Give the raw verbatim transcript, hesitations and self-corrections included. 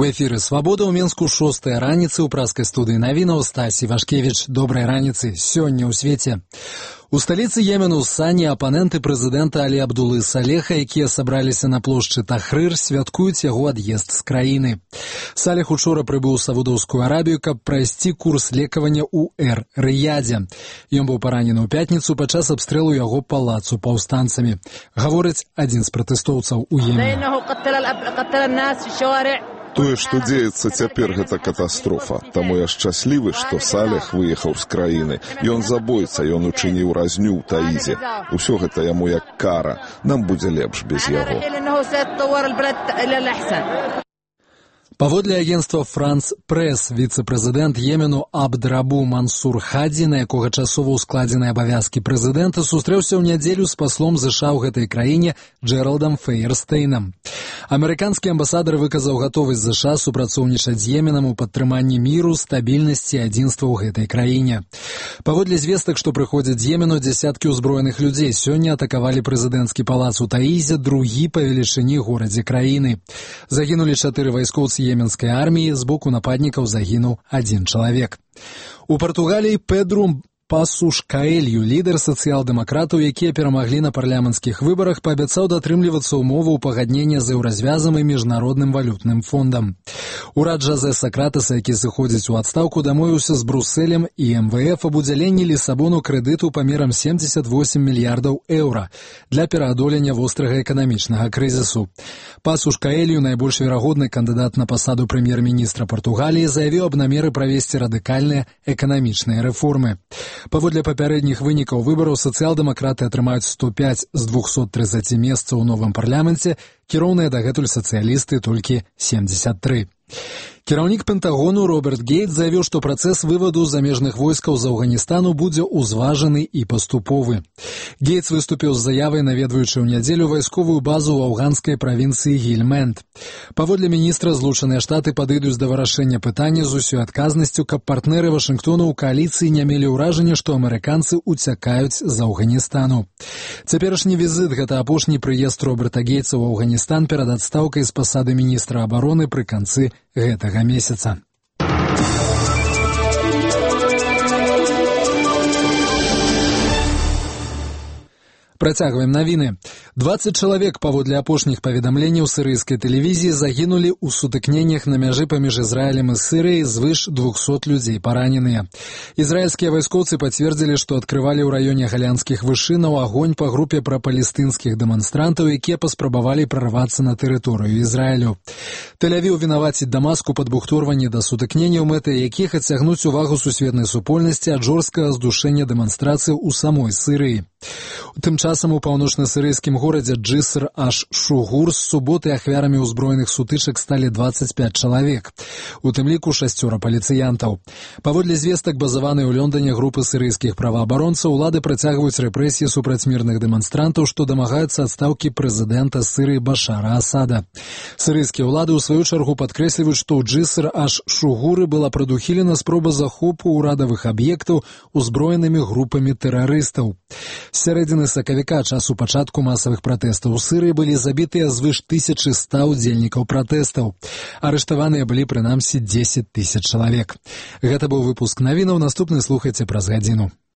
У эфіры «Свабода» ў Менску шостая раніцы ў праскай студыі навінаў Стасі Вашкевіч. Добрай раніцы. Сёння ў свеце. У сталіцы Йемену Сані апаненты прэзідэнта Алі Абдулы Салеха, якія сабраліся на плошчы Тахрыр, святкуюць яго ад'езд з краіны. Салех учора прыбыў у Саудаўскую Арабію, каб прайсці курс лекавання ў Эр-Рыядзе. Ён быў паранены ў пятніцу падчас абстрэлу яго палацу паўстанцамі. Гаворыць адзін з пратэстоўцаў у Йемене. Тое, што дзеецца цяпер, гэта катастрофа. Таму я шчаслівы, што Салех выехаў з краіны. Ён забойца, ён учыніў разню ў Таізе. Усё гэта яму як кара. Нам будзе лепш без яго. Паводле агенцтва «Франс Прэс», віцэ-прэзідэнт Йемену Абд-Рабу Мансур Хаді, на якога часова ўскладзены абавязкі прэзідэнта, сустрэўся ў нядзелю з паслом ЗША ў гэтай краіне Джэралдам Фейерстейнам. Амерыканскі амбасадар выказаў гатовасць ЗША супрацоўнічаць з Йеменам у падтрыманні міру, стабільнасці і адзінства ў гэтай краіне. Паводле звестак, што прыходзяць з Йемену, дзясяткі ўзброеных людзей сёння атакавалі прэзідэнцкі палац у Таізе, другі па велічыні горадзе краіны. Загінулі чатыры вайскоўцы Йеменскай арміі, з боку нападнікаў загінуў адзін чалавек. У Партугаліі Педру Пасуш Каэлью, лідар сацыял-дэмакратаў, якія перамаглі на парламенцкіх выбарах, паабяцаў датрымлівацца ўмоваў пагаднення з еўразвязам і міжнародным валютным фондам. Урад Жазэ Сакратаса, які сыходзіць у адстаўку, дамовіўся з Брусэлем і эм вэ эф аб удзяленні Лісабону крэдыту памерам семдзесят восемь мільярдаў еўра для пераадолення вострага эканамічнага крызісу. Пасуш Каэлью, найбольш верагодны кандыдат на пасаду прэм'ер-міністра Партугаліі, заявіў аб намеры правесці радыкальныя эканамічныя рэформы. Паводле папярэдніх вынікаў выбараў сацыял-дэмакраты атрымаюць сто пяць з двухсот трыццаці месцаў у новым парламенце, кіроўныя дагэтуль сацыялісты толькі семьдесят тры. Кіраўнік Пентагону Роберт Гейтс заявіў, што працэс вываду замежных войскаў з Афганістану будзе ўзважаны і паступовы. Гейтс выступіў з заявай, наведваючы ў нядзелю вайсковую базу ў афганскай правінцыі Гільмэнд. Паводле міністра, Злучаныя Штаты падыдуць да вырашэння пытання з усёй адказнасцю, каб партнеры Вашынгтона ў кааліцыі не мелі ўражання, што амерыканцы уцякаюць з Афганістану. Цяперашні візіт — гэта апошні прыезд Роберта Гейтса ў Афганістан перад адстаўкай з пасады міністра абароны пры канцы гэтага месяца. Працягваем навіны. дваццаць чалавек, паводле апошніх паведамленняў сірыйскай тэлевізіі, загінулі ў сутыкненнях на мяжы паміж Ізраілем і Сірыяй, звыш двухсот людзей параненыя. Ізраільскія вайскоўцы пацвердзілі, што адкрывалі ў раёне галянскіх вышынаў агонь па групе прапалестынскіх дэманстрантаў, якія паспрабавалі прарвацца на тэрыторыю Ізраілю. Тэль-Авіў вінаваціць Дамаск у падбухторванні да сутыкненняў, мэты якіх адцягнуць увагу сусветнай супольнасці ад жорсткага здушэння дэманстрацыяў у самой Сірыі. Тым часам у паўночна-сірыйскім горадзе Джыср-аш-Шугур з суботы ахвярамі ўзброеных сутычак сталі дваццаць пяць чалавек, у тым ліку шасцёра паліцыянтаў. Паводле звестак, базаванай у Лондоне групы сірыйскіх праваабаронцаў, улады працягваюць рэпрэсіі супраць мірных дэманстрантаў, што дамагаюцца адстаўкі прэзідэнта Сірыі Башара Асада. Сірыйскія ўлады, у сваю чаргу, падкрэсліваюць, што ў Джыср-аш-Шугуры была прадухілена спроба захопу ўрадавых аб'ектаў узброенымі групамі тэрарыстаў. З сярэдзіны сакавіка, часу пачатку масавых пратэстаў у Сірыі, былі забітыя звыш тысячы ста удзельнікаў пратэстаў. Арыштаваныя былі прынамсі дзесяць тысяч чалавек. Гэта быў выпуск навінаў, наступны слухайце праз гадзіну.